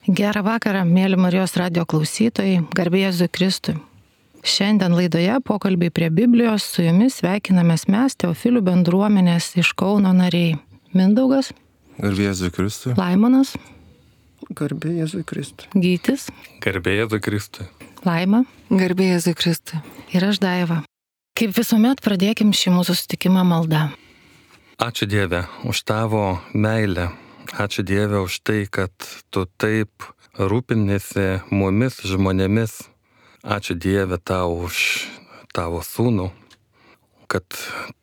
Gerą vakarą, mėly Marijos radio klausytojai, garbė Jėzui Kristui. Šiandien laidoje pokalbiai prie Biblijos su jumis sveikinamės mes, Teofilių bendruomenės iš Kauno nariai. Mindaugas. Garbė Jėzui Kristui. Laimonas. Garbė Jėzui Kristui. Gytis. Garbė Jėzui Kristui. Laima. Garbė Jėzui Kristui. Ir aš Daiva. Kaip visuomet pradėkim šį mūsų susitikimą maldą. Ačiū Dieve už tavo meilę. Ačiū Dieve už tai, kad tu taip rūpinėsi mumis žmonėmis. Ačiū Dieve tau už tavo sūnų, kad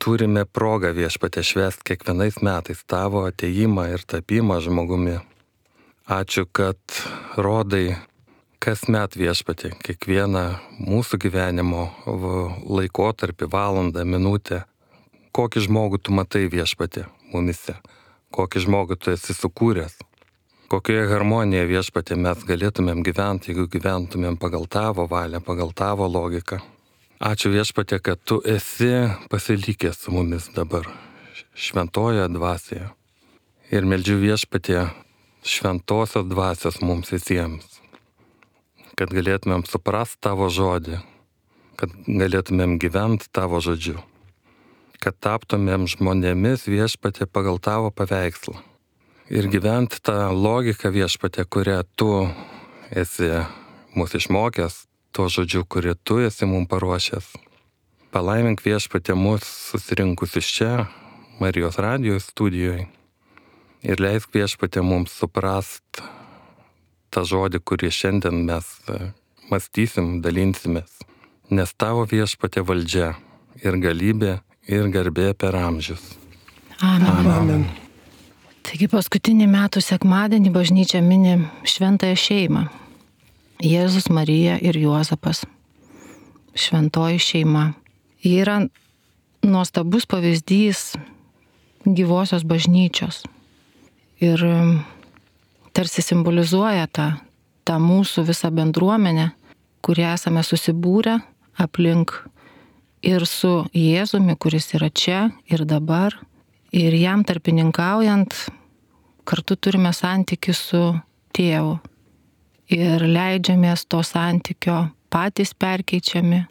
turime progą Viešpatie švęsti kiekvienais metais tavo atėjimą ir tapimą žmogumi. Ačiū, kad rodai kasmet Viešpatie kiekvieną mūsų gyvenimo laikotarpį, valandą, minutę. Kokį žmogų tu matai Viešpatie mumise, kokį žmogų tu esi sukūręs, kokioje harmonijoje Viešpatie mes galėtumėm gyventi, jeigu gyventumėm pagal tavo valią, pagal tavo logiką. Ačiū Viešpatie, kad tu esi pasilikęs su mumis dabar, šventojoje dvasioje. Ir meldžiu Viešpatie šventosios dvasios mums visiems, kad galėtumėm suprasti tavo žodį, kad galėtumėm gyventi tavo žodžiu, kad taptumėm žmonėmis Viešpatie pagal tavo paveikslą ir gyventi tą logiką Viešpatie, kurią tu esi mūsų išmokęs, tuo žodžiu, kurį tu esi mums paruošęs. Palaimink Viešpatie mus susirinkusius čia, Marijos radijo studijoje, ir leisk Viešpatie mums suprast tą žodį, kurį šiandien mes mąstysim, dalinsimės, nes tavo Viešpatie valdžia ir galybė ir garbė per amžius. Amen. Amen. Taigi paskutinį metų sekmadienį bažnyčia mini šventąją šeimą. Jėzus, Marija ir Juozapas. Šventoji šeima. Ji yra nuostabus pavyzdys gyvosios bažnyčios. Ir tarsi simbolizuoja tą mūsų visą bendruomenę, kurie esame susibūrę aplink ir su Jėzumi, kuris yra čia ir dabar. Ir jam tarpininkaujant, kartu turime santykių su Tėvu. Ir leidžiamės to santykio patys perkeičiami,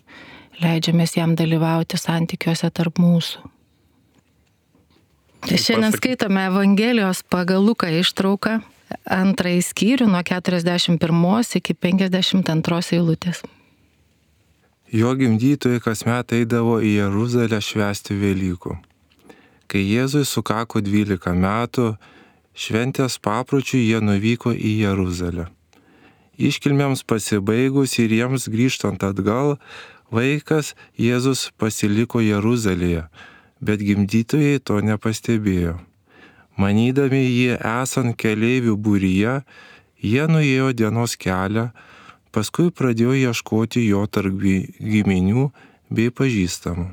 leidžiamės jam dalyvauti santykiuose tarp mūsų. Šiandien skaitome Evangelijos pagal Luką ištrauką, 2 skyrių nuo 41 iki 52 eilutės. Jo gimdytojai kasmet eidavo į Jeruzalę švęsti Velykų. Kai Jėzui sukako 12 metų, šventės papročių jie nuvyko į Jeruzalę. Iškilmėms pasibaigus ir jiems grįžtant atgal, vaikas Jėzus pasiliko Jeruzalėje, bet gimdytojai to nepastebėjo. Manydami jį esant keleivių būryje, jie nuėjo dienos kelią, paskui pradėjo ieškoti jo tarp giminių bei pažįstamų.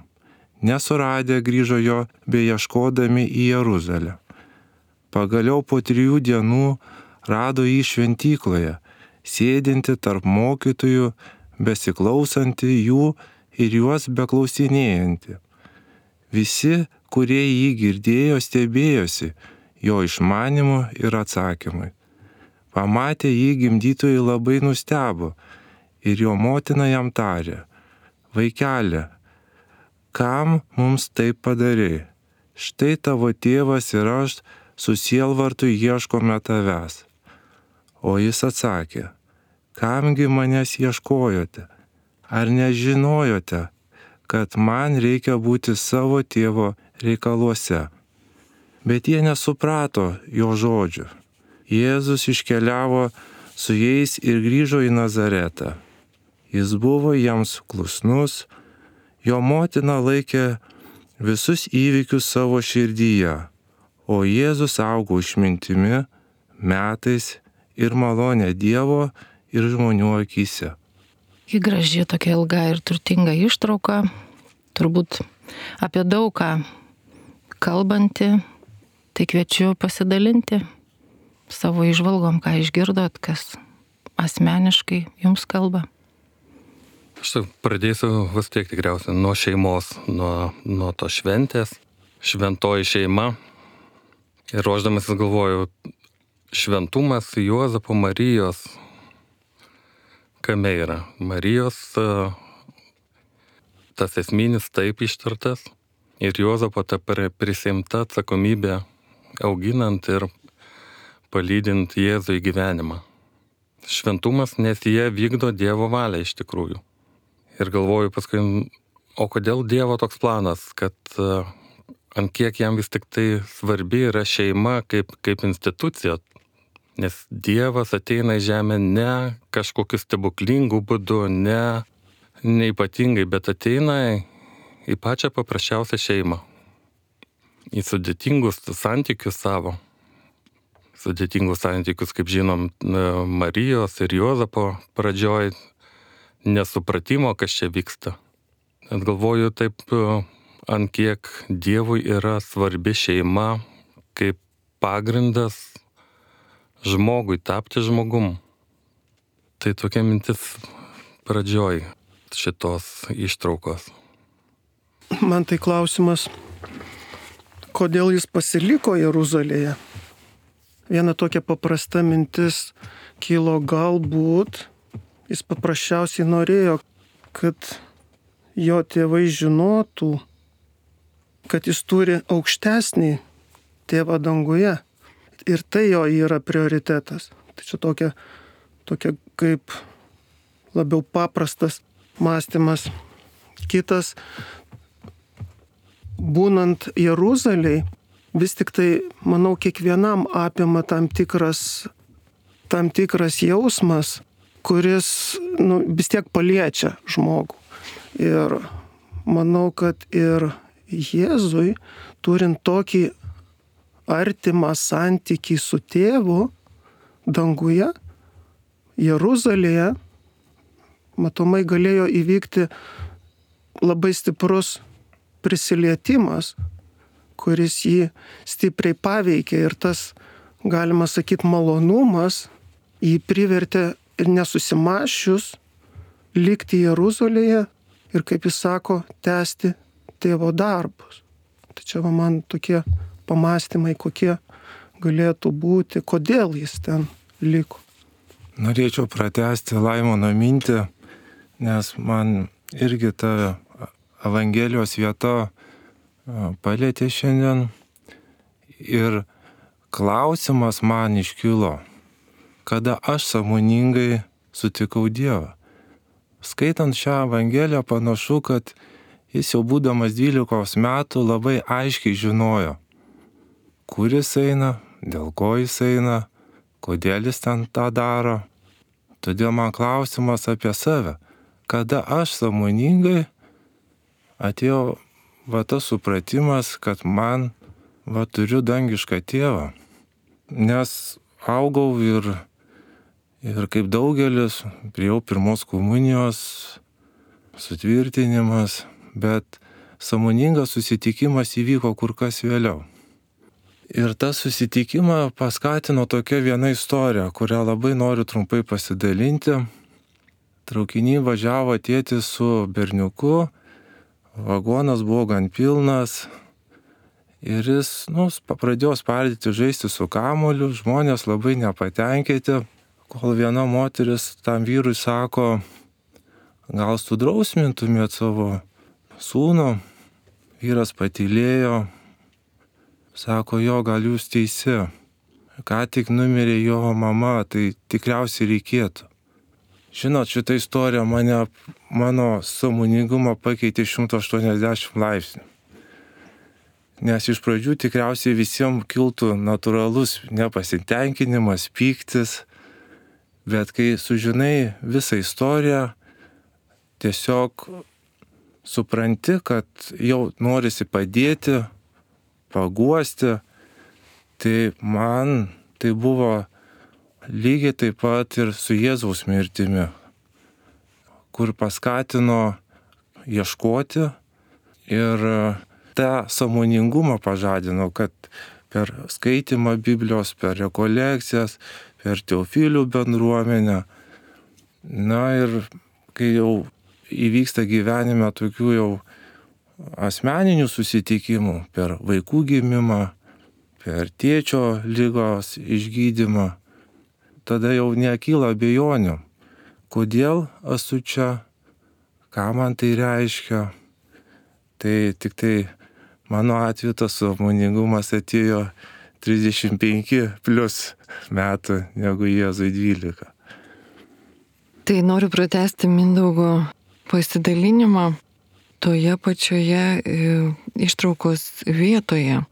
Nesuradę grįžo jo beieškodami į Jeruzalę. Pagaliau po 3 dienų rado jį šventykloje, sėdinti tarp mokytojų, besiklausantį jų ir juos beklausinėjantį. Visi, kurie jį girdėjo, stebėjosi jo išmanimu ir atsakymai. Pamatę jį gimdytojai labai nustebo ir jo motina jam tarė: Vaikeli, kam mums taip padarei? Štai tavo tėvas ir aš su sielvartu ieškome tavęs. O jis atsakė: Kamgi manęs ieškojote? Ar nežinojote, kad man reikia būti savo tėvo reikaluose? Bet jie nesuprato jo žodžių. Jėzus iškeliavo su jais ir grįžo į Nazaretą. Jis buvo jiems klusnus, jo motina laikė visus įvykius savo širdyje, o Jėzus augo išmintimi, metais ir malonė Dievo ir žmonių akyse. Ji graži, tokia ilga ir turtinga ištrauka, turbūt apie daug ką kalbanti, tai kviečiu pasidalinti savo įžvalgom, ką išgirdot, kas asmeniškai jums kalba. Aš pradėsiu vis tiek tikriausiai nuo šeimos, nuo to šventės, šventoji šeima. Ir ruošdamasis galvoju, šventumas Juozapo Marijos kame yra. Marijos tas esminis taip ištartas ir Juozapo ta prisiimta atsakomybė auginant ir palydint Jėzų į gyvenimą. Šventumas, nes jie vykdo Dievo valią iš tikrųjų. Ir galvoju paskui, o kodėl Dievo toks planas, kad ant kiek jam vis tik tai svarbi yra šeima kaip institucija. Nes Dievas ateina į žemę ne kažkokiu stebuklingu būdu, ne ypatingai, bet ateina į pačią paprasčiausią šeimą. Į sudėtingus santykius savo. Sudėtingus santykius, kaip žinom, Marijos ir Juozapo pradžioj nesupratimo, kas čia vyksta. Bet galvoju taip, ant kiek Dievui yra svarbi šeima kaip pagrindas žmogui tapti žmogum. Tai tokia mintis pradžioj šitos ištraukos. Man tai klausimas, kodėl jis pasiliko Jeruzalėje? Viena tokia paprasta mintis kilo, galbūt jis paprasčiausiai norėjo, kad jo tėvai žinotų, kad jis turi aukštesnį tėvą danguje. Ir tai jo yra prioritetas. Tai čia tokia kaip labiau paprastas mąstymas. Kitas, būnant Jeruzalėj, vis tik tai, manau, kiekvienam apima tam tikras jausmas, kuris vis tiek paliečia žmogų. Ir manau, kad ir Jėzui, turint tokį artimą santykį su tėvu danguje, Jeruzalėje, matomai galėjo įvykti labai stiprus prisilietimas, kuris jį stipriai paveikė, ir tas, galima sakyti, malonumas jį privertė ir nesusimąsčius likti Jeruzalėje ir, kaip jis sako, tęsti tėvo darbus. Tai čia man tokie pamąstymai, kokie galėtų būti, kodėl jis ten liko. Norėčiau pratęsti Laimono mintį, nes man irgi ta Evangelijos vieta palietė šiandien ir klausimas man iškilo, kada aš sąmoningai sutikau Dievą. Skaitant šią Evangeliją panašu, kad jis jau būdamas 12 metų labai aiškiai žinojo, kur jis eina, dėl ko jis eina, kodėl jis ten tą daro. Todėl man klausimas apie save, kada aš sąmoningai atėjo tas supratimas, kad man turiu dangišką tėvą. Nes augau ir kaip daugelis, priėjau pirmos komunijos, sutvirtinimas, bet sąmoningas susitikimas įvyko kur kas vėliau. Ir tas susitikimą paskatino tokia viena istorija, kurią labai noriu trumpai pasidalinti. Traukinį važiavo tėtis su berniuku, vagonas buvo gan pilnas ir jis pradėjo spardyti, žaisti su kamuoliu, žmonės labai nepatenkinti, kol viena moteris tam vyrui sako, gal sudrausmintumėt savo sūnų. Vyras patylėjo, sako, jo, gal jūs teisi, ką tik numirė jo mama, tai tikriausiai reikėtų. Žinot, šitą istoriją mano sąmoningumą pakeitė 180 laipsnių. Nes iš pradžių tikriausiai visiems kiltų natūralus nepasitenkinimas, pyktis, bet kai sužinai visą istoriją, tiesiog supranti, kad jau norisi padėti, paguosti, tai man tai buvo lygiai taip pat ir su Jėzaus mirtimi, kur paskatino ieškoti ir tą sąmoningumą pažadino, kad per skaitimą Biblijos, per rekolekcijas, per teofilių bendruomenę. Ir kai jau įvyksta gyvenime tokių jau asmeninių susitikimų, per vaikų gimimą, per tėčio lygos išgydymą, tada jau nekyla abejonių, kodėl esu čia, ką man tai reiškia. Tai tik tai mano atveju tas sąmoningumas atėjo 35 plus metų negu Jėzui 12. Tai noriu pratęsti Mindaugo pasidalinimą toje pačioje ištraukos vietoje,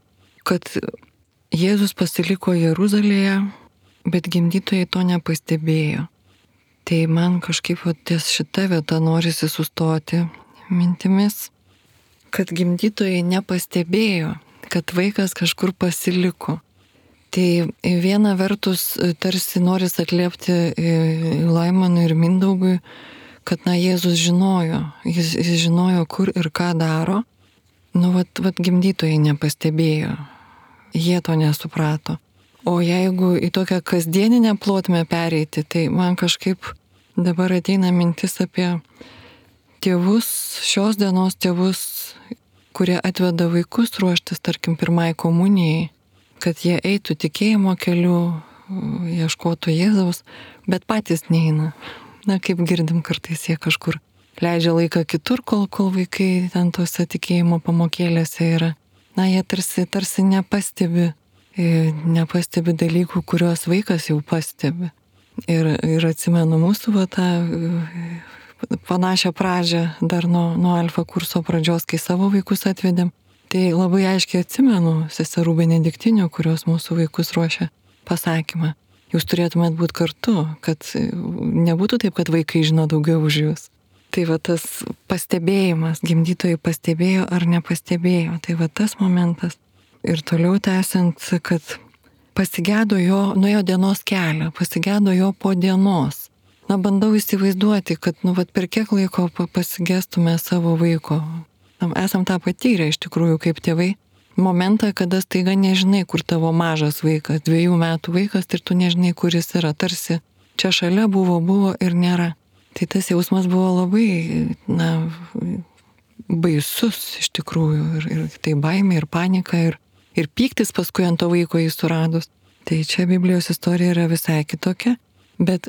kad Jėzus pasiliko Jeruzalėje, bet gimdytojai to nepastebėjo. Tai man kažkaip ties šita vieta norisi sustoti mintimis, kad gimdytojai nepastebėjo, kad vaikas kažkur pasiliko. Tai viena vertus tarsi noris atliepti Laimonui ir Mindaugui, kad Jėzus žinojo, jis žinojo, kur ir ką daro. Vat gimdytojai nepastebėjo, jie to nesuprato. O jeigu į tokią kasdieninę plotmę pereiti, tai man kažkaip dabar ateina mintis apie tėvus, šios dienos tėvus, kurie atveda vaikus ruoštis, tarkim, pirmai komunijai, kad jie eitų tikėjimo keliu, ieškotų Jėzaus, bet patys neina. Kaip girdim, kartais jie kažkur leidžia laiką kitur, kol vaikai ten tose tikėjimo pamokėlėse yra. Jie tarsi nepastebi dalykų, kuriuos vaikas jau pastebi. Ir atsimenu mūsų tą panašią pradžią dar nuo alfa kurso pradžios, kai savo vaikus atvedėm. Tai labai aiškiai atsimenu seserų benediktinių, kurios mūsų vaikus ruošia, pasakymą. Jūs turėtumėt būti kartu, kad nebūtų taip, kad vaikai žino daugiau už jūs. Tai tas pastebėjimas, gimdytojai pastebėjo ar nepastebėjo, tai tas momentas. Ir toliau tęsiant, kad pasigėdo jo, nuėjo dienos kelią, pasigėdo jo po dienos. Bandau įsivaizduoti, kad per kiek laiko pasigėstume savo vaiko. Esam tą patyrę iš tikrųjų kaip tėvai. Momentą, kada staiga nežinai, kur tavo mažas vaikas, 2 metų vaikas, ir tu nežinai, kur jis yra. Tarsi čia šalia buvo ir nėra. Tai tas jausmas buvo labai, baisus iš tikrųjų. Ir tai baimė, ir panika, ir pyktis paskui ant to vaiko jį suradus. Tai čia Biblijos istorija yra visai kitokia. Bet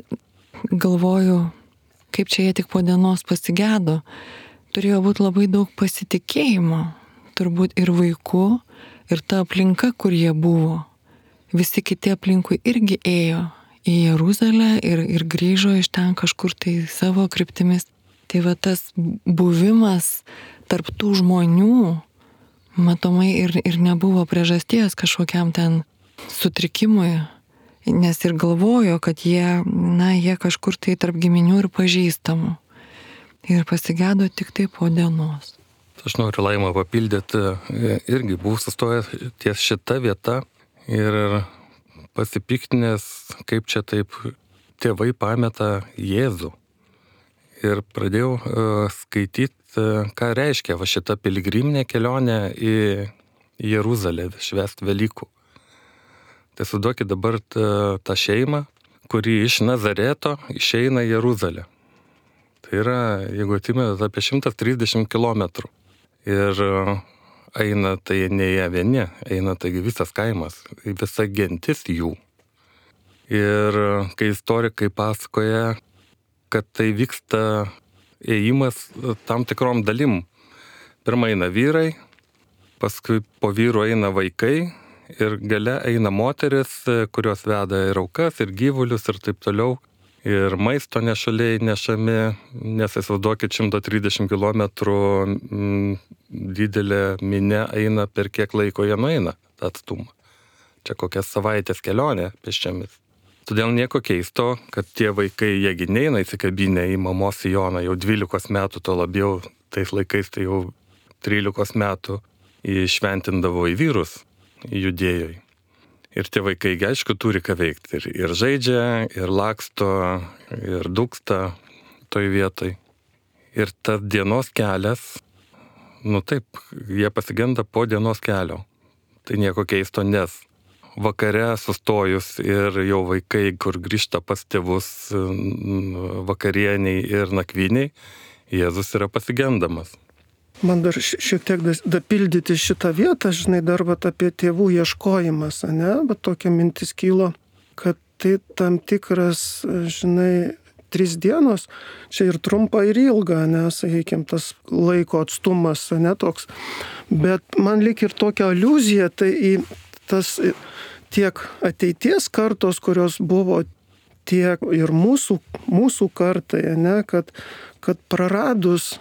galvoju, kaip čia jie tik po dienos pasigėdo. Turėjo būti labai daug pasitikėjimo. Turbūt ir vaikų, ir ta aplinka, kur jie buvo. Visi kiti aplinkui irgi ėjo į Jeruzalę ir grįžo iš ten kažkur tai savo kryptimis. Tai tas buvimas tarp tų žmonių, matomai ir nebuvo priežasties kažkokiam ten sutrikimui, nes ir galvojo, kad jie kažkur tai tarp giminių ir pažįstamų. Ir pasigėdo tik tai po dienos. Aš noriu Laimą papildyti, irgi buvau sustojęs ties šita vieta ir pasipiktinęs, kaip čia taip tėvai pameta Jėzų. Ir pradėjau skaityti, ką reiškia šita piligriminė kelionė į Jeruzalę, švęst Velykų. Tai suduokit dabar tą šeimą, kuri iš Nazareto išeina į Jeruzalę. Tai yra, jeigu atimėt, apie 130 kilometrų. Ir eina tai ne jie vieni, eina taigi visas kaimas, visa gentis jų. Ir kai istorikai pasakoja, kad tai vyksta ėjimas tam tikrom dalim. Pirma eina vyrai, paskui po vyrų eina vaikai ir gale eina moteris, kurios veda ir aukas, ir gyvulius ir taip toliau. Ir maisto nešaliai nešami, nes įsivaizduokit 130 kilometrų didelė minia eina, per kiek laiko jie nueina tą atstumą. Čia kokias savaitės kelionė pėsčiomis. Todėl nieko keisto, kad tie vaikai, jiegi neina įsikabinę į mamos sijoną jau 12 metų, to labiau tais laikais tai jau 13 metų įšventindavo į vyrus, į Judėjoj. Ir tie vaikai, aišku, turi ką veikti. Ir žaidžia, ir laksto, ir dūksta toj vietoj. Ir tas dienos kelias, taip, jie pasigenda po dienos kelio. Tai nieko keisto, nes vakare sustojus ir jau vaikai, kur grįžta pas tėvus vakarieniai ir nakviniai, Jėzus yra pasigendamas. Man dar šiek tiek dapildyti šitą vietą, žinai, dar vat apie tėvų ieškojimas, ne, bet tokia mintis kilo, kad tai tam tikras, žinai, 3 dienos, čia ir trumpa, ir ilga, nes, sakykime, tas laiko atstumas, ne toks. Bet man lyg ir tokia aliuzija, tai į tas tiek ateities kartos, kurios buvo, tiek ir mūsų kartai, ne, kad praradus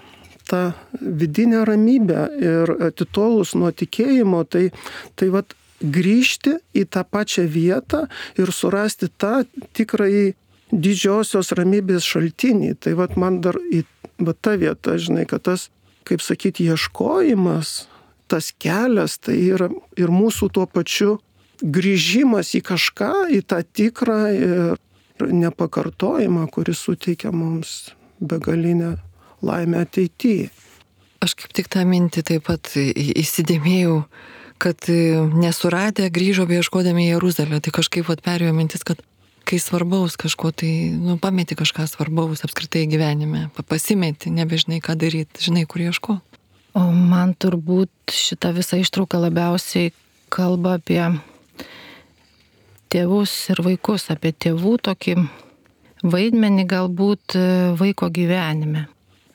tą vidinę ramybę ir atitolus nuo tikėjimo, tai vat grįžti į tą pačią vietą ir surasti tą tikrąjį didžiosios ramybės šaltinį. Tai vat man dar į ta vieta, žinai, kad tas, kaip sakyti, ieškojimas, tas kelias, tai yra ir mūsų tuo pačiu grįžimas į kažką, į tą tikrą ir nepakartojimą, kuris suteikia mums begalinę laimę ateityje. Aš kaip tik tą mintį taip pat įsidėmėjau, kad nesuradę grįžo beieškodami į Jeruzalę. Tai kažkaip perėjo mintis, kad kai svarbaus kažko, tai pameti kažką svarbaus apskritai gyvenime, pasimeti, nebežinai ką daryti, žinai, kur ieško. O man turbūt šita visa ištrauka labiausiai kalba apie tėvus ir vaikus, apie tėvų tokį vaidmenį galbūt vaiko gyvenime.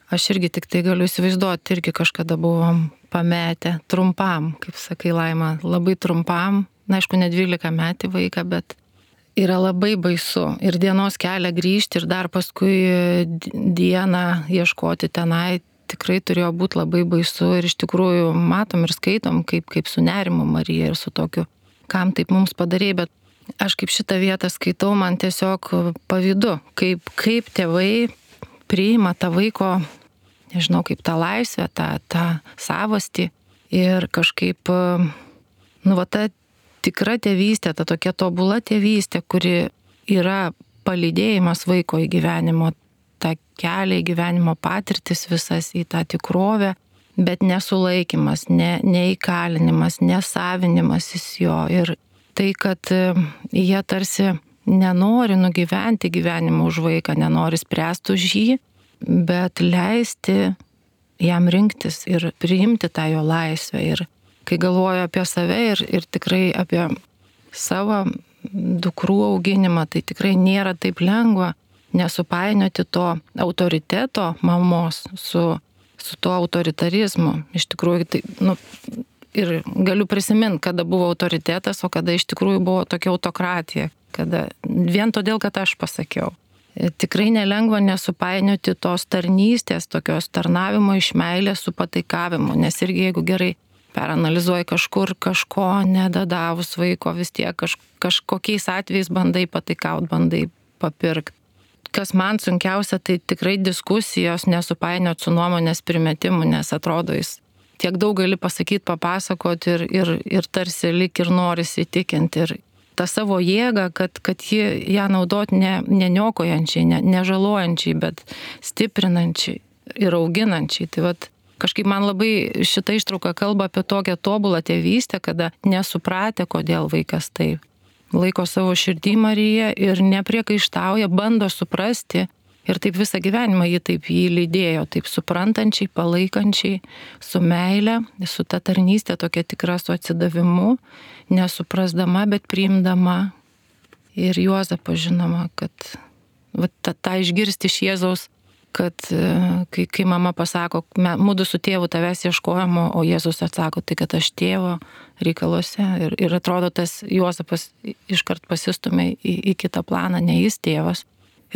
Aš irgi tik tai galiu įsivaizduoti, irgi kažkada buvom pametę trumpam, kaip sakai Laima, labai trumpam, na aišku, ne 12 metų vaiką, bet yra labai baisu ir dienos kelią grįžti ir dar paskui dieną ieškoti tenai tikrai turėjo būti labai baisu ir iš tikrųjų matom ir skaitom, kaip su nerimu Marija ir su tokiu, kam taip mums padarė, bet aš kaip šitą vietą skaitau, man tiesiog pavydu, kaip tėvai priima tą vaiko, nežinau, kaip tą laisvę, tą savastį ir kažkaip, ta tikra tėvystė, ta tokia tobula tėvystė, kuri yra palydėjimas vaiko į gyvenimo, tą kelią į gyvenimo patirtis visas, į tą tikrovę, bet nesulaikimas, neįkalinimas, nesavinimasis jo. Ir tai, kad jie tarsi nenori nugyventi gyvenimą už vaiką, nenori spręsti už jį, bet leisti jam rinktis ir priimti tą jo laisvę. Ir kai galvoju apie save ir tikrai apie savo dukrų auginimą, tai tikrai nėra taip lengva nesupainioti to autoriteto mamos su tuo autoritarizmu. Iš tikrųjų, tai, ir galiu prisiminti, kada buvo autoritetas, o kada iš tikrųjų buvo tokia autokratija, kada vien todėl, kad aš pasakiau. Tikrai nelengva nesupainioti tos tarnystės, tokios tarnavimo iš meilės su pataikavimu, nes irgi jeigu gerai peranalizuoji kažkur kažko nedadavus vaiko, vis tiek kažkokiais atvejais bandai pataikauti, bandai papirkti. Kas man sunkiausia, tai tikrai diskusijos nesupainioti su nuomonės primetimu, nes atrodo jis tiek daug gali pasakyti, papasakoti ir tarsi lik ir norisi įtikinti. Ir tą savo jėgą, kad ją naudot neniokojančiai, nežalojančiai, bet stiprinančiai ir auginančiai. Tai vat kažkaip man labai šita ištrauka kalba apie tokią tobulą tėvystę, kada nesupratę, kodėl vaikas taip laiko savo širdį Mariją ir nepriekaištauja, bando suprasti ir taip visą gyvenimą jį lydėjo, taip suprantančiai, palaikančiai, su meile, su ta tarnystė tokia tikra, su atsidavimu, nesuprasdama, bet priimdama. Ir Juozapo žinoma, kad tą išgirsti iš Jėzaus, kad kai mama pasako, mudu su tėvu tavęs ieškojamo, o Jėzus atsako, tai kad aš tėvo reikaluose. Ir atrodo, tas Juozapas iškart pasistumė į kitą planą, ne jis tėvas.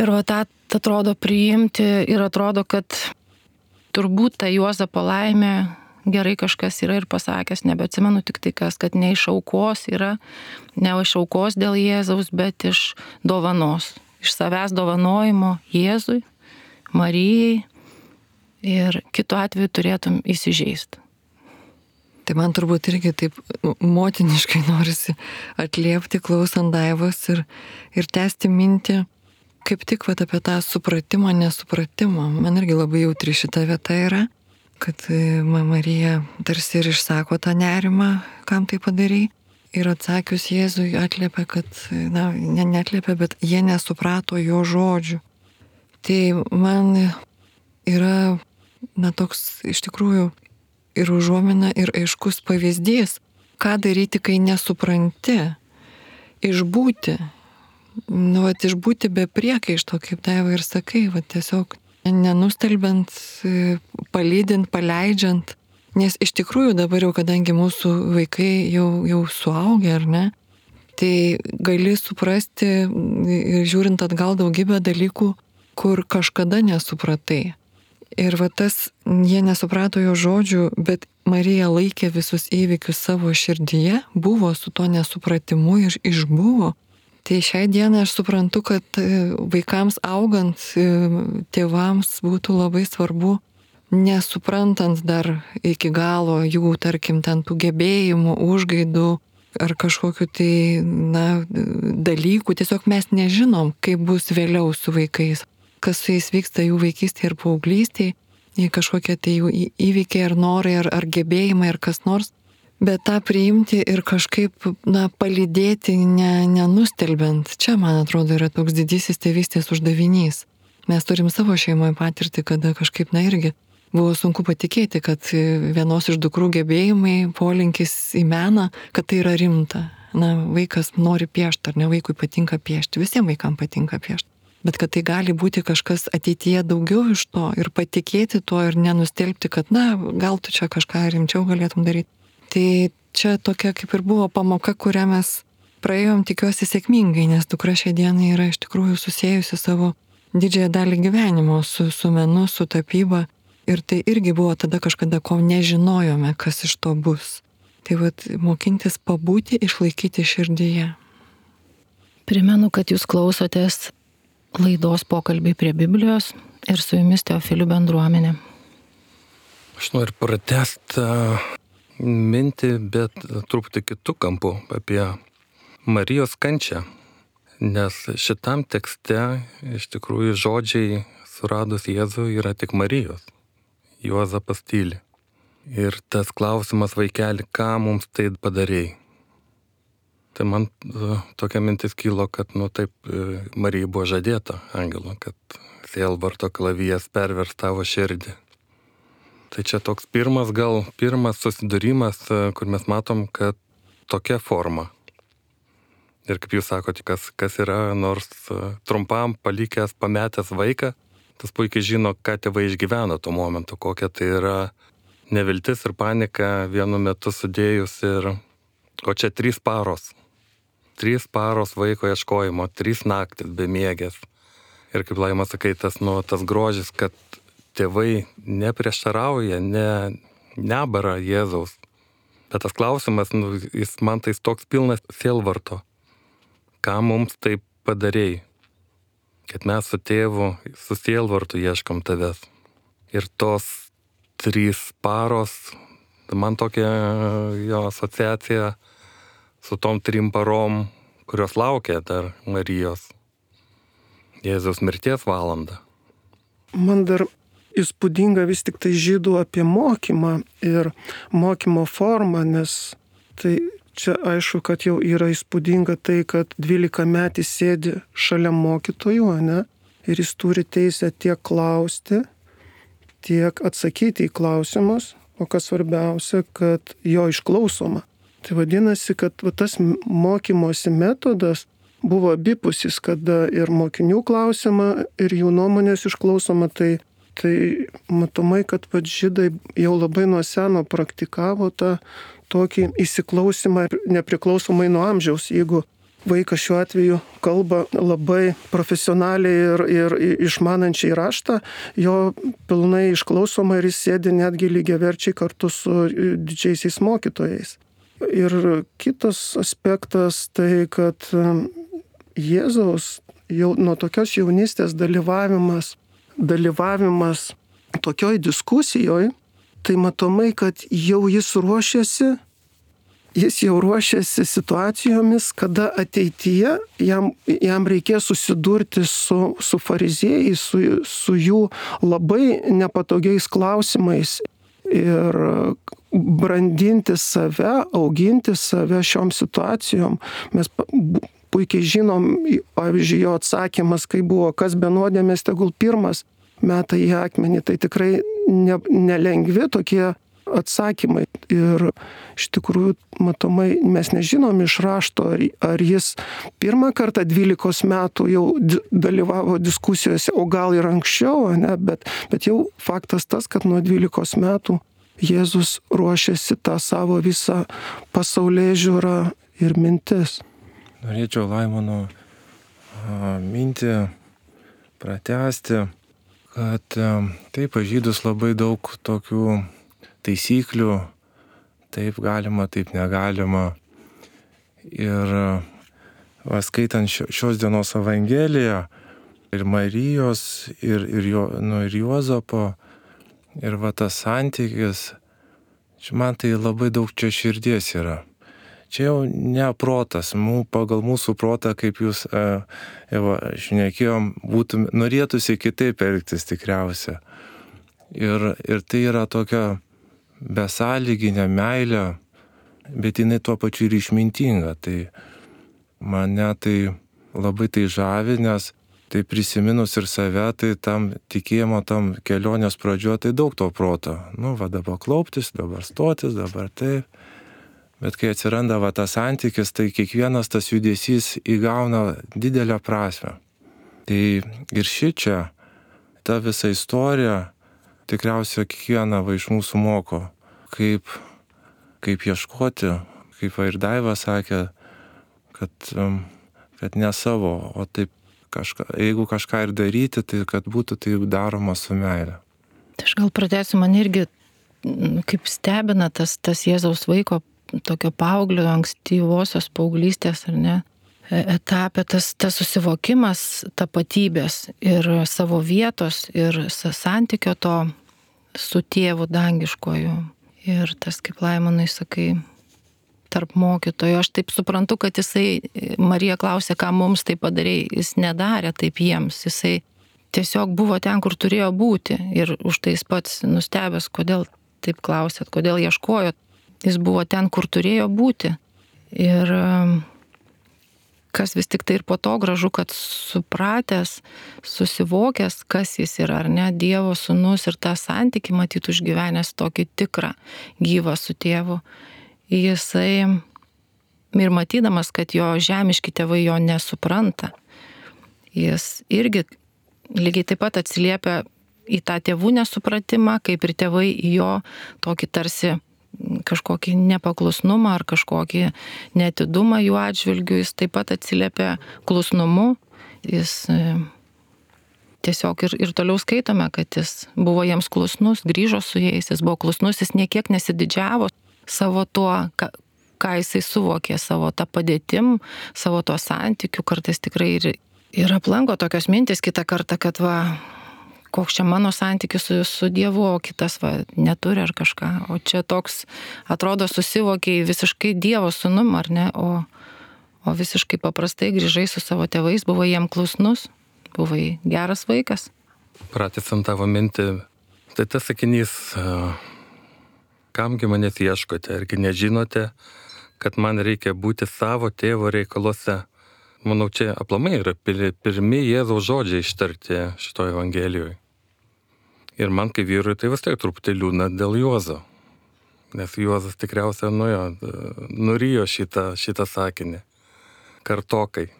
Ir tą atrodo priimti ir atrodo, kad turbūt ta Juozapo laimė, gerai kažkas yra ir pasakęs, nebeatsimenu tik tai kas, kad ne iš aukos yra, ne iš aukos dėl Jėzaus, bet iš dovanos, iš savęs dovanojimo Jėzui, Marijai ir kitu atveju turėtum įsižeisti. Tai man turbūt irgi taip motiniškai norisi atliepti, klausant Daivos ir tęsti mintį, kaip tik apie tą supratimą, nesupratimą. Man irgi labai jautri šita vieta yra, kad Marija tarsi ir išsako tą nerimą, kam tai padarai. Ir atsakius Jėzui atliepia, kad, neatliepia, bet jie nesuprato jo žodžių. Tai man yra, toks iš tikrųjų ir užuomina, ir aiškus pavyzdys, ką daryti, kai nesupranti. Išbūti. Išbūti be priekaišto, kaip Daiva ir sakai, tiesiog nenustelbiant, palydint, paleidžiant. Nes iš tikrųjų dabar jau, kadangi mūsų vaikai jau suaugę, ar ne, tai gali suprasti ir žiūrint atgal daugybę dalykų, kur kažkada nesupratai. Ir tas, jie nesuprato jo žodžių, bet Marija laikė visus įvykius savo širdyje, buvo su to nesupratimu ir išbuvo. Tai šiai dienai aš suprantu, kad vaikams augant, tėvams būtų labai svarbu, nesuprantant dar iki galo jų, tarkim, ten tų gebėjimų, užgaidų ar kažkokiu tai, dalykų. Tiesiog mes nežinom, kaip bus vėliau su vaikais, kas su jais vyksta jų vaikystėje ir paauglystėje, kažkokie tai jų įvykiai ar norai, ar gebėjimai, ar kas nors. Bet tą priimti ir kažkaip, palydėti, nenustelbiant. Čia, man atrodo, yra toks didysis tėvystės uždavinys. Mes turim savo šeimoje patirtį, kada kažkaip, irgi buvo sunku patikėti, kad vienos iš dukrų gebėjimai, polinkis į meną, kad tai yra rimta. Vaikas nori piešti, ar ne, vaikui patinka piešti, visiems vaikams patinka piešti. Bet kad tai gali būti kažkas ateityje daugiau iš to ir patikėti tuo ir nenustelbti, kad, gal tu čia kažką rimčiau galėtum daryti. Tai čia tokia kaip ir buvo pamoka, kurią mes praėjom, tikiuosi, sėkmingai, nes dukra šią dieną yra iš tikrųjų susiejusi savo didžiąją dalį gyvenimo su menu, su tapyba. Ir tai irgi buvo tada kažkada, ko nežinojome, kas iš to bus. Tai mokintis pabūti, išlaikyti širdyje. Primenu, kad jūs klausotės laidos Pokalbiai prie Biblijos ir su jumis Teofilių bendruomenė. Aš noriu pratęsti mintį, bet truputį kitų kampų apie Marijos kančią. Nes šitam tekste iš tikrųjų žodžiai suradus Jėzų yra tik Marijos. Juozapas tyli. Ir tas klausimas, vaikeli, ką mums tai padarėjai? Tai man tokia mintis kilo, kad, taip, Marijai buvo žadėta angelo, kad sielvarto klavijas pervers tavo širdį. Tai čia toks pirmas susidūrimas, kur mes matom, kad tokia forma. Ir kaip jūs sakote, kas yra nors trumpam palikęs, pametęs vaiką, tas puikiai žino, ką tėvai išgyveno tuo momentu, kokia tai yra neviltis ir panika vienu metu sudėjus. O čia 3 paros. 3 paros vaiko ieškojimo, 3 naktis bemiegės. Ir kaip Laima sakai, tas grožis, kad tėvai neprieštarauja, nebara Jėzaus. Bet tas klausimas, jis man tai toks pilnas sielvarto. Ką mums taip padarėjai? Kad mes su tėvu, su sielvartu ieškom tavęs. Ir tos 3 paros, man tokia jo asociacija su tom 3 parom, kurios laukia dar Marijos. Jėzaus mirties valandą. Man dar įspūdinga vis tik tai žydų apie mokymą ir mokymo formą, nes tai čia aišku, kad jau yra įspūdinga tai, kad 12-metis sėdi šalia mokytojų, ne? Ir jis turi teisę tiek klausti, tiek atsakyti į klausimus, o kas svarbiausia, kad jo išklausoma. Tai vadinasi, kad tas mokymosi metodas buvo abipusis, kada ir mokinių klausima, ir jų nuomonės išklausoma. Tai matomai, kad žydai jau labai nuo seno praktikavo tą tokį įsiklausimą nepriklausomai nuo amžiaus. Jeigu vaikas šiuo atveju kalba labai profesionaliai ir išmanančiai raštą, jo pilnai išklausoma ir jis sėdi netgi lygiaverčiai kartu su didžiaisiais mokytojais. Ir kitas aspektas tai, kad Jėzaus jau nuo tokios jaunystės dalyvavimas tokioj diskusijoje, tai matomai, kad jau jis jau ruošiasi situacijomis, kada ateityje jam reikės susidurti su fariziejais, su jų labai nepatogiais klausimais ir brandinti save, auginti save šiom situacijom. Mes puikiai žinom, pavyzdžiui, jo atsakymas, kai buvo, kas be nuodėmės, tegul pirmas meta į akmenį. Tai tikrai nelengvi tokie atsakymai. Ir iš tikrųjų, matomai, mes nežinom iš rašto, ar jis pirmą kartą 12 metų jau dalyvavo diskusijose, o gal ir anksčiau, ne? Bet jau faktas tas, kad nuo 12 metų Jėzus ruošiasi tą savo visą pasaulėžiūrą ir mintis. Norėčiau Laimono mintį pratęsti, kad taip, žydus labai daug tokių taisyklių, taip galima, taip negalima. Ir skaitant šios dienos Evangeliją, ir Marijos, ir Juozapo, ir tas santykis, man tai labai daug čia širdies yra. Čia jau ne protas, pagal mūsų protą, kaip jūs šnekėjom, norėtųsi kitaip elgtis tikriausia. Ir tai yra tokia besąlyginė meilė, bet jinai tuo pačiu ir išmintinga. Tai mane tai labai tai žavi, nes tai prisiminus ir save, tai tam tikėjimo, tam kelionės pradžioje, tai daug to proto. Dabar klauptis, dabar stotis, dabar taip. Bet kai atsiranda tas santykis, tai kiekvienas tas judesys įgauna didelę prasmę. Tai ir šičia, ta visa istorija, tikriausiai kiekvieną iš mūsų moko, kaip ieškoti, kaip ir Daiva sakė, kad ne savo, o taip jeigu kažką ir daryti, tai kad būtų tai daroma su meile. Tai aš gal pradėsiu, man irgi kaip stebina tas Jėzaus vaiko tokio paauglio, ankstyvosios paauglystės, ar ne, etape, tas susivokimas tapatybės ir savo vietos ir santykio to su tėvu dangiškoju. Ir tas, kaip Laimonai sakai, tarp mokytojų. Aš taip suprantu, kad Marija klausė, ką mums tai padarė, jis nedarė taip jiems, jisai tiesiog buvo ten, kur turėjo būti. Ir už tai jis pats nustebęs, kodėl taip klausėt, kodėl ieškojot. Jis buvo ten, kur turėjo būti. Ir kas vis tik tai ir po to gražu, kad supratęs, susivokęs, kas jis yra, ar ne, Dievo sūnus ir tą santykį matyt užgyvenęs tokį tikrą gyvą su tėvu. Jisai ir matydamas, kad jo žemiški tėvai jo nesupranta, jis irgi lygiai taip pat atsiliepia į tą tėvų nesupratimą, kaip ir tėvai į jo tokį tarsi kažkokį nepaklusnumą ar kažkokį neatidumą jų atžvilgių, jis taip pat atsiliepia klusnumu. Jis tiesiog ir toliau skaitome, kad jis buvo jiems klusnus, grįžo su jais, jis buvo klusnus, jis niekiek nesididžiavo savo tuo, ką jisai suvokė, savo tą padėtim, savo tuo santykiu. Kartais tikrai ir aplanko tokios mintis kitą kartą, kad koks čia mano santykis su Dievu, o kitas neturi ar kažką. O čia toks, atrodo, susivokiai visiškai Dievo sūnum, ar ne, o visiškai paprastai grįžai su savo tėvais, buvai jiem klusnus, buvai geras vaikas. Pratęsiant tavo mintį, tai tas sakinys, kamgi manęs ieškote, argi nežinote, kad man reikia būti savo tėvo reikaluose. Manau, čia aplamai yra pirmi Jėzaus žodžiai ištarti šitoje Evangelijoje. Ir man kaip vyrui tai vis tiek truputį liūdna dėl Juozo. Nes Juozas tikriausiai nurijo šitą sakinį. Kartokai.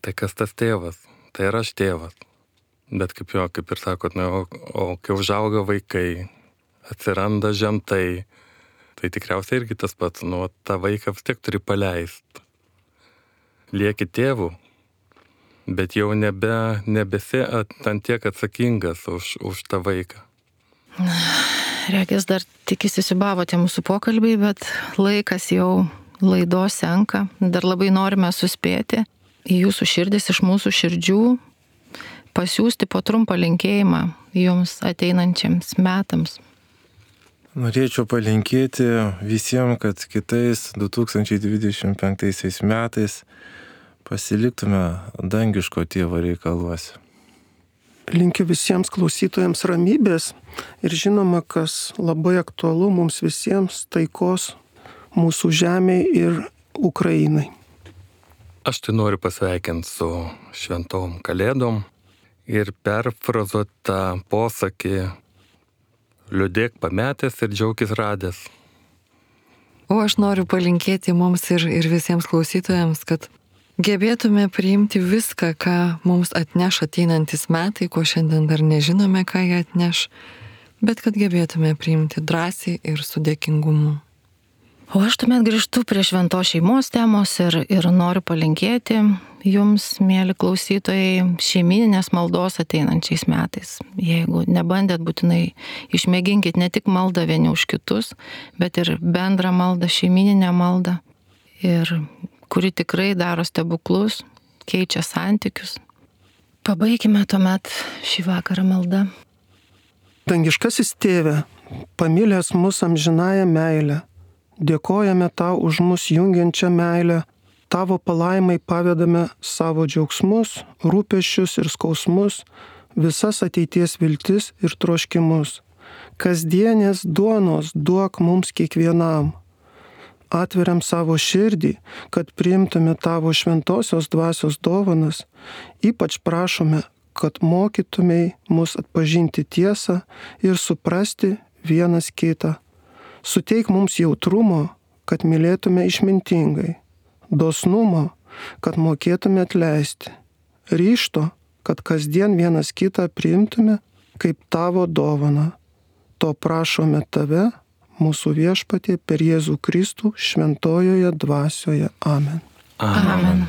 Tai kas tas tėvas? Tai ir aš tėvas. Bet kaip ir sakot, o kai užauga vaikai, atsiranda žentai, tai tikriausiai irgi tas pats, tą vaiką vis tiek turi paleisti. Lieki tėvų, bet jau nebesi ant tiek atsakingas už tą vaiką. Regis dar tik įsisiūbavote mūsų pokalbiai, bet laikas jau laidos senka. Dar labai norime suspėti į jūsų širdis iš mūsų širdžių, pasiųsti po trumpą linkėjimą jums ateinančiams metams. Norėčiau palinkėti visiems, kad kitais 2025 metais pasiliktume dangiško tėvo reikaluose. Linkiu visiems klausytojams ramybės ir žinoma, kas labai aktualu mums visiems, taikos mūsų žemėje ir Ukrainai. Aš tai noriu pasveikinti su šventom kalėdom ir perfrazuoti tą posakį liūdėk pametęs ir džiaugis radęs. O aš noriu palinkėti mums ir visiems klausytojams, kad gebėtume priimti viską, ką mums atneš ateinantis metai, ko šiandien dar nežinome, ką jie atneš, bet kad gebėtume priimti drąsiai ir su dėkingumu. O aš tuomet grįžtu prie šventos šeimos temos ir noriu palinkėti jums, mėly klausytojai, šeimyninės maldos ateinančiais metais. Jeigu nebandėt, būtinai išmėginkit ne tik maldą vieni už kitus, bet ir bendrą maldą, šeimyninę maldą, ir kuri tikrai daro stebuklus, keičia santykius. Pabaikime tuomet šį vakarą maldą. Dangiškasis Tėve, pamilęs mus amžinąją meilę, dėkojame Tau už mus jungiančią meilę, Tavo palaimai pavedame savo džiaugsmus, rūpesčius ir skausmus, visas ateities viltis ir troškimus. Kasdienės duonos duok mums kiekvienam. Atveriam savo širdį, kad priimtume Tavo šventosios dvasios dovanas, ypač prašome, kad mokytumei mus atpažinti tiesą ir suprasti vienas kitą. Suteik mums jautrumo, kad mylėtume išmintingai, dosnumo, kad mokėtume atleisti, ryžto, kad kasdien vienas kitą priimtume kaip Tavo dovaną. To prašome Tave, mūsų Viešpatie, per Jėzų Kristų šventojoje dvasioje. Amen. Amen.